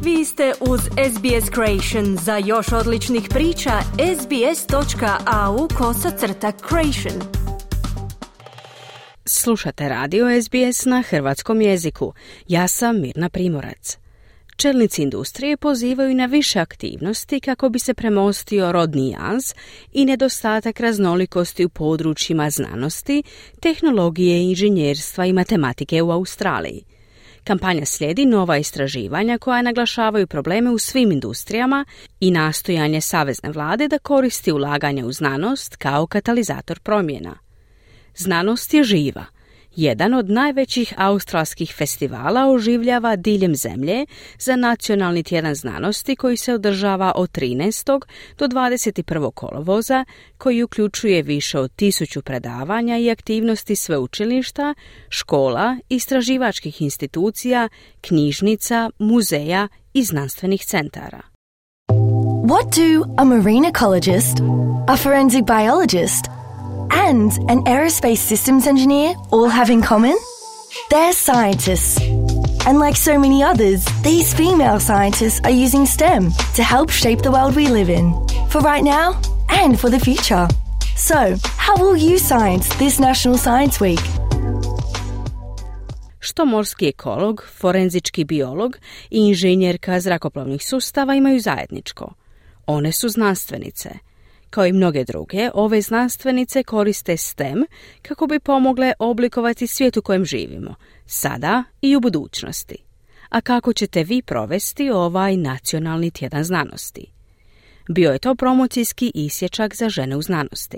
Vi ste uz SBS Creation. Za još odličnih priča, sbs.au/creation. Slušate radio SBS na hrvatskom jeziku. Ja sam Mirna Primorac. Čelnici industrije pozivaju na više aktivnosti kako bi se premostio rodni jaz i nedostatak raznolikosti u područjima znanosti, tehnologije, inženjerstva i matematike u Australiji. Kampanja slijedi nova istraživanja koja naglašavaju probleme u svim industrijama i nastojanje savezne vlade da koristi ulaganje u znanost kao katalizator promjena. Znanost je živa. Jedan od najvećih australskih festivala oživljava diljem zemlje za Nacionalni tjedan znanosti koji se održava od 13. do 21. kolovoza, koji uključuje više od 1000 predavanja i aktivnosti sveučilišta, škola, istraživačkih institucija, knjižnica, muzeja i znanstvenih centara. What do a marine ecologist, a forensic biologist, and an aerospace systems engineer all have in common? They're scientists. And like so many others, these female scientists are using STEM to help shape the world we live in, for right now and for the future. So, how will you science this National Science Week? Što morski ekolog, forenzički biolog i inženjerka zrakoplovnih sustava imaju zajedničko? One su znanstvenice. Kao i mnoge druge, ove znanstvenice koriste STEM kako bi pomogle oblikovati svijet u kojem živimo, sada i u budućnosti. A kako ćete vi provesti ovaj Nacionalni tjedan znanosti? Bio je to promocijski isječak za žene u znanosti.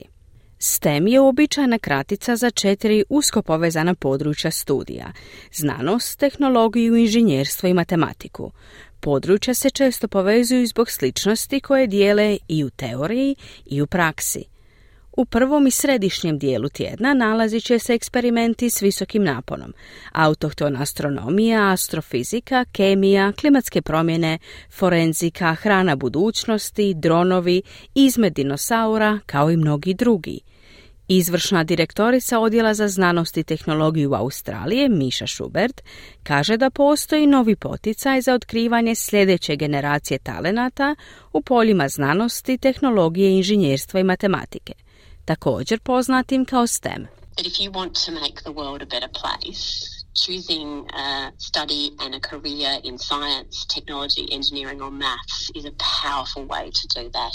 STEM je uobičajena kratica za 4 usko povezana područja studija: znanost, tehnologiju, inženjerstvo i matematiku. Područja se često povezuju zbog sličnosti koje dijele i u teoriji i u praksi. U prvom i središnjem dijelu tjedna nalazit će se eksperimenti s visokim naponom: autohtona astronomija, astrofizika, kemija, klimatske promjene, forenzika, hrana budućnosti, dronovi, izmet dinosaura, kao i mnogi drugi. Izvršna direktorica Odjela za znanost i tehnologiju Australije, Misha Schubert, kaže da postoji novi poticaj za otkrivanje sljedeće generacije talenata u poljima znanosti, tehnologije, inženjerstva i matematike, također poznatim kao STEM. That if you want to make the world a better place, choosing a study and a career in science, technology, engineering or maths is a powerful way to do that.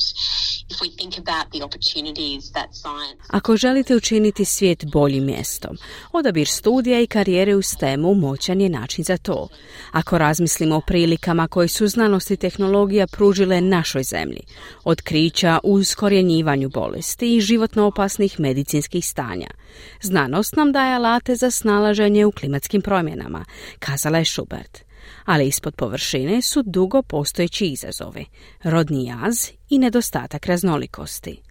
If we think about the opportunities that science... Ako želite učiniti svijet boljim mjestom, odabir studija i karijere u STEM-u moćan je način za to. Ako razmislimo o prilikama koje su znanost i tehnologija pružile našoj zemlji, otkrića u iskorjenjivanju bolesti i životno opasnih medicinskih stanja, znanost nam daje alate za snalaženje u klimatskim promjenama, kazala je Schubert. Ali ispod površine su dugo postojeći izazovi: rodni jaz i nedostatak raznolikosti.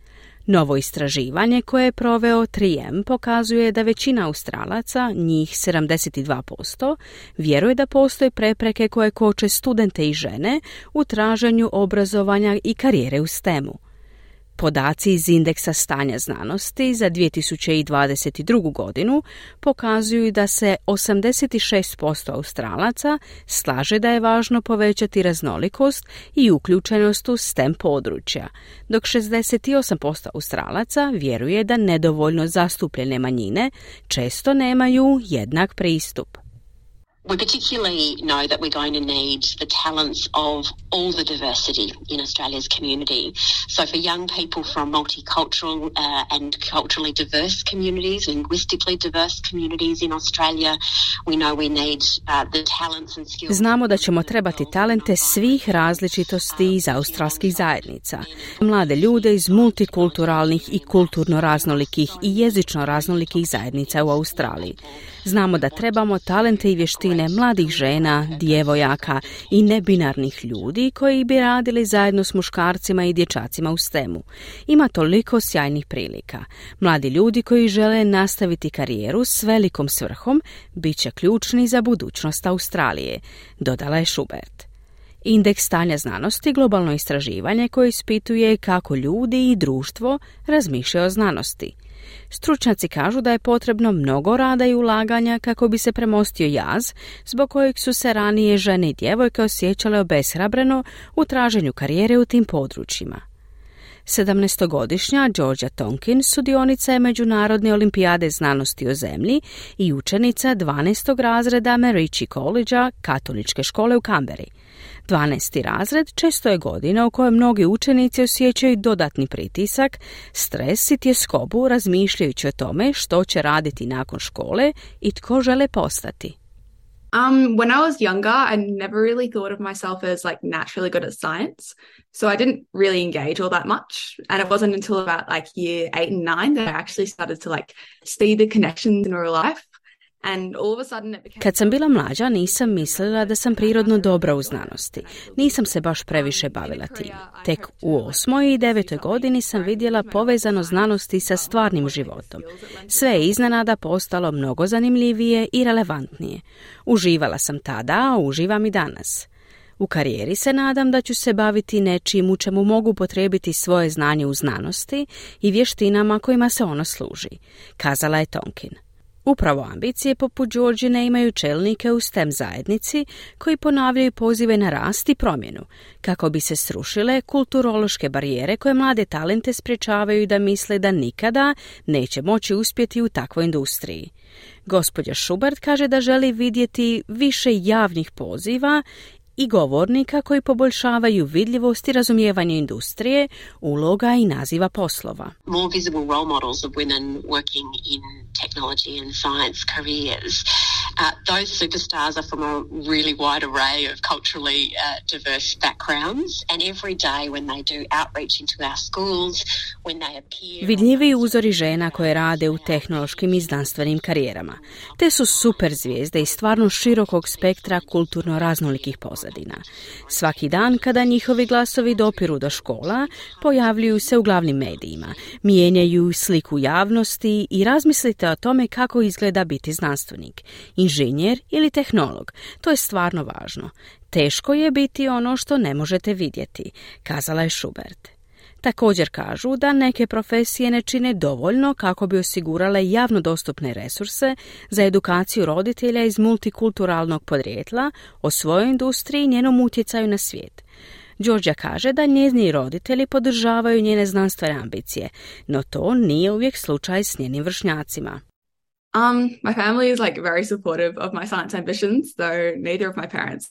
Novo istraživanje koje je proveo 3M pokazuje da većina Australaca, njih 72%, vjeruje da postoje prepreke koje koče studente i žene u traženju obrazovanja i karijere u STEM-u. Podaci iz indeksa stanja znanosti za 2022. godinu pokazuju da se 86% Australaca slaže da je važno povećati raznolikost i uključenost u STEM područja, dok 68% Australaca vjeruje da nedovoljno zastupljene manjine često nemaju jednak pristup. We particularly know that we're going to need the talents of all the diversity in Australia's community. So for young people from multicultural and culturally diverse communities, linguistically diverse communities in Australia, we know we need the talents and skills. Znamo da ćemo trebati talente svih različitosti iz australskih zajednica. Mlade ljude iz multikulturalnih i kulturno raznolikih i jezično raznolikih zajednica u Australiji. Znamo da trebamo talente i vještine mladih žena, djevojaka i nebinarnih ljudi koji bi radili zajedno s muškarcima i dječacima u STEM-u. Ima toliko sjajnih prilika. Mladi ljudi koji žele nastaviti karijeru s velikom svrhom bit će ključni za budućnost Australije, dodala je Schubert. Indeks stanja znanosti, globalno istraživanje koje ispituje kako ljudi i društvo razmišljaju o znanosti. Stručnjaci kažu da je potrebno mnogo rada i ulaganja kako bi se premostio jaz, zbog kojeg su se ranije žene i djevojke osjećale obeshrabreno u traženju karijere u tim područjima. 17-godišnja Georgia Tonkins sudionica je Međunarodne olimpijade znanosti o zemlji i učenica 12. razreda Merici College-a, katoličke škole u Canberri. 12. razred često je godina u kojoj mnogi učenici osjećaju dodatni pritisak, stres i tjeskobu razmišljajući o tome što će raditi nakon škole i tko žele postati. When I was younger, I never really thought of myself as like naturally good at science. So I didn't really engage all that much. And it wasn't until about like year 8 and 9 that I actually started to like see the connections in real life. And all of a sudden it became... Kad sam bila mlađa, nisam mislila da sam prirodno dobra u znanosti. Nisam se baš previše bavila tim. Tek u 8. i 9. godini sam vidjela povezano znanosti sa stvarnim životom. Sve je iznenada postalo mnogo zanimljivije i relevantnije. Uživala sam tada, a uživam i danas. U karijeri se nadam da ću se baviti nečim u čemu mogu potrebiti svoje znanje u znanosti i vještinama kojima se ono služi, kazala je Tonkin. Upravo ambicije poput Georgine imaju čelnike u STEM zajednici koji ponavljaju pozive na rast i promjenu, kako bi se srušile kulturološke barijere koje mlade talente sprječavaju da misle da nikada neće moći uspjeti u takvoj industriji. Gospođa Schubert kaže da želi vidjeti više javnih poziva i govornika koji poboljšavaju vidljivost i razumijevanje industrije, uloga i naziva poslova. More visible role models of women working in technology and science careers. Those superstars are from a really wide array of culturally diverse backgrounds, and every day when they do outreach into our schools, when they appear... Vidljivi uzori žena koje rade u tehnološkim i znanstvenim karijerama. Te su super zvijezde iz stvarno širokog spektra kulturno raznolikih pozadina. Svaki dan kada njihovi glasovi dopiru do škola, pojavljuju se u glavnim medijima, mijenjaju sliku javnosti i razmislite o tome kako izgleda biti znanstvenik, inženjer ili tehnolog. To je stvarno važno. Teško je biti ono što ne možete vidjeti, kazala je Schubert. Također kažu da neke profesije ne čine dovoljno kako bi osigurale javno dostupne resurse za edukaciju roditelja iz multikulturalnog podrijetla o svojoj industriji i njenom utjecaju na svijet. Georgia kaže da njezini roditelji podržavaju njene znanstvene ambicije, no to nije uvijek slučaj s njenim vršnjacima. My family is like very supportive of my science ambitions, though neither of my parents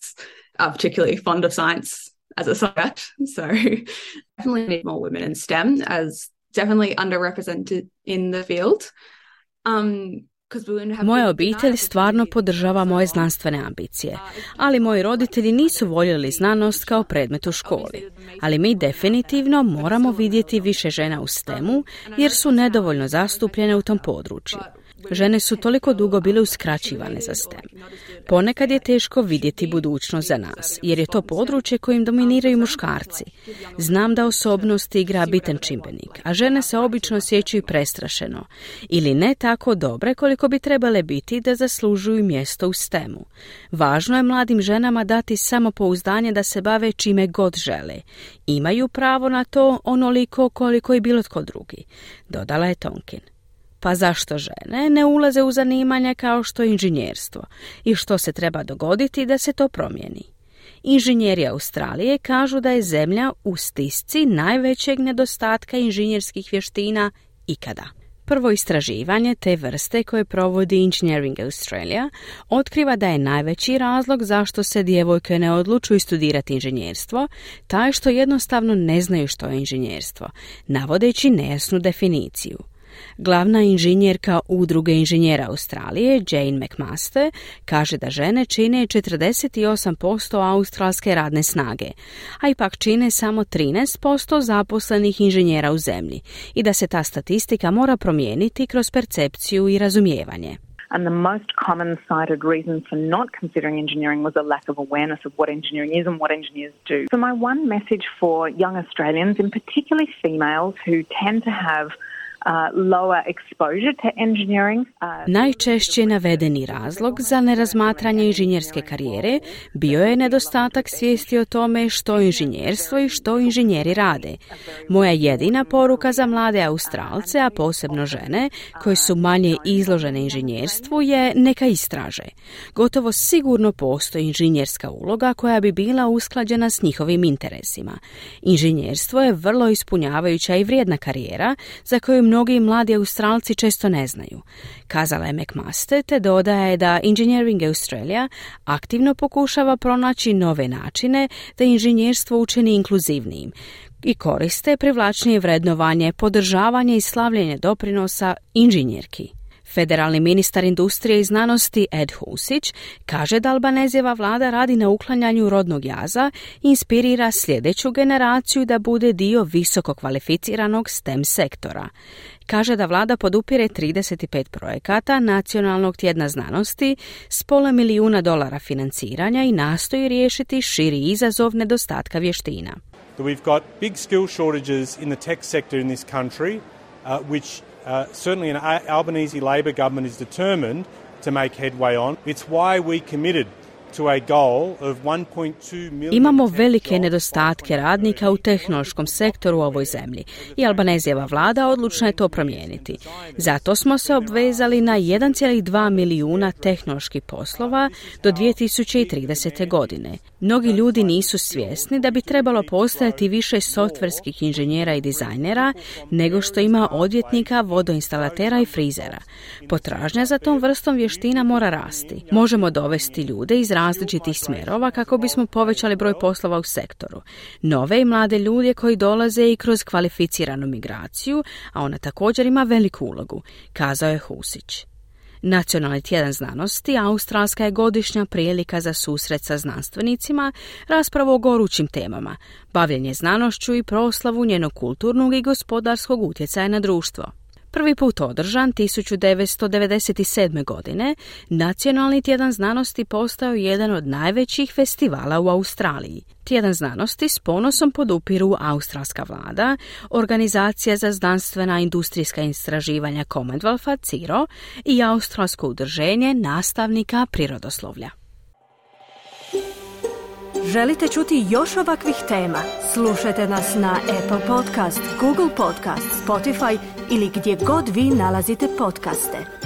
are particularly fond of science as a subject. So definitely need more women in STEM, as definitely underrepresented in the field. Moja obitelj stvarno podržava moje znanstvene ambicije, ali moji roditelji nisu voljeli znanost kao predmet u školi. Ali mi definitivno moramo vidjeti više žena u STEM-u jer su nedovoljno zastupljene u tom području. Žene su toliko dugo bile uskraćivane za STEM. Ponekad je teško vidjeti budućnost za nas, jer je to područje kojim dominiraju muškarci. Znam da osobnost igra bitan čimbenik, a žene se obično osjećaju prestrašeno ili ne tako dobre koliko bi trebale biti da zaslužuju mjesto u STEM-u. Važno je mladim ženama dati samopouzdanje da se bave čime god žele. Imaju pravo na to onoliko koliko i bilo tko drugi, dodala je Tonkin. Pa zašto žene ne ulaze u zanimanja kao što je inženjerstvo i što se treba dogoditi da se to promijeni? Inženjeri Australije kažu da je zemlja u stisci najvećeg nedostatka inženjerskih vještina ikada. Prvo istraživanje te vrste koje provodi Engineering Australia otkriva da je najveći razlog zašto se djevojke ne odlučuju studirati inženjerstvo taj što jednostavno ne znaju što je inženjerstvo, navodeći nejasnu definiciju. Glavna inženjerka Udruge inženjera Australije, Jane McMaster, kaže da žene čine 48% australske radne snage, a ipak čine samo 13% zaposlenih inženjera u zemlji i da se ta statistika mora promijeniti kroz percepciju i razumijevanje. And the most common cited reason for not considering engineering was a lack of awareness of what engineering is and what engineers do. So my one message for young Australians, in particularly females who tend to have lower exposure to engineering. Najčešće navedeni razlog za nerazmatranje inženjerske karijere bio je nedostatak svijesti o tome što je inženjerstvo i što inženjeri rade. Moja jedina poruka za mlade Australce, a posebno žene, koje su manje izložene inženjerstvu, je neka istraže. Gotovo sigurno postoji inženjerska uloga koja bi bila usklađena s njihovim interesima. Inženjerstvo je vrlo ispunjavajuća i vrijedna karijera za koju mnogi mladi Australci često ne znaju. Kazala je McMaster, te dodaje da Engineering Australia aktivno pokušava pronaći nove načine da inženjerstvo učini inkluzivnijim i koriste privlačnije vrednovanje, podržavanje i slavljenje doprinosa inženjerki. Federalni ministar industrije i znanosti Ed Husić kaže da Albanezijeva vlada radi na uklanjanju rodnog jaza i inspirira sljedeću generaciju da bude dio visoko kvalificiranog STEM sektora. Kaže da vlada podupire 35 projekata Nacionalnog tjedna znanosti s $500 000 financiranja i nastoji riješiti širi izazov nedostatka vještina. We've got big skill shortages in the tech sector in this country, which certainly an Albanese Labor government is determined to make headway on. It's why we committed to a goal of 1.2 million. Imamo velike nedostatke radnika u tehnološkom sektoru u ovoj zemlji i Albanezijeva vlada odlučna je to promijeniti. Zato smo se obvezali na 1,2 milijuna tehnoloških poslova do 2030. godine. Mnogi ljudi nisu svjesni da bi trebalo postojati više softverskih inženjera i dizajnera nego što ima odvjetnika, vodoinstalatera i frizera. Potražnja za tom vrstom vještina mora rasti. Možemo dovesti ljude iz različitih smjerova kako bismo povećali broj poslova u sektoru. Nove i mlade ljude koji dolaze i kroz kvalificiranu migraciju, a ona također ima veliku ulogu, kazao je Husić. Nacionalni tjedan znanosti australska je godišnja prilika za susret sa znanstvenicima, raspravu o gorućim temama, bavljenje znanošću i proslavu njenog kulturnog i gospodarskog utjecaja na društvo. Prvi put održan 1997. godine, Nacionalni tjedan znanosti postao jedan od najvećih festivala u Australiji. Tjedan znanosti s ponosom podupiru australska vlada, Organizacija za znanstvena industrijska istraživanja Commonwealtha CIRO i Australsko udruženje nastavnika prirodoslovlja. Želite čuti još ovakvih tema? Slušajte nas na Apple Podcast, Google Podcast, Spotify ili gdje god vi nalazite podcaste.